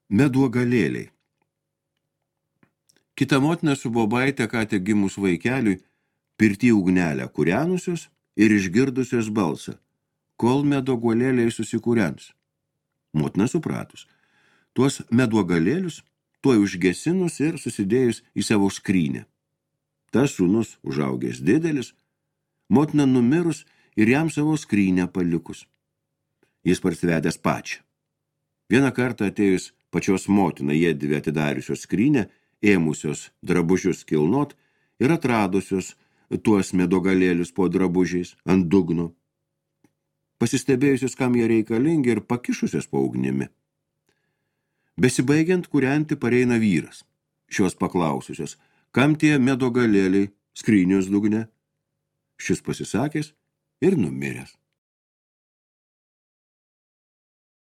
Meduogalėliai. Kita motina su bobaitė ką tik gimus vaikeliui pirty ugnelę kūrenusios ir išgirdusios balsą, kol meduogalėliai susikūrens. Motina supratus, tuos meduogalėlius tuoj užgesinus ir susidėjus į savo skrynę. Tas sūnus užaugęs didelis, motina numirus ir jam savo skrynę palikus. Jis parsivedęs pačią. Vieną kartą atėjus pačios motina jiedvi atidariusios skrynę, ėmusios drabužius kilnot ir atradusios tuos meduogalėlius po drabužiais ant dugno. Pasistebėjusios, kam jie reikalingi ir pakišusios po ugnimi. Besibaigiant kūrenti pareina vyras. Šios paklaususios, kam tie meduogalėliai skrynios dugne? Šis pasisakęs ir numiręs.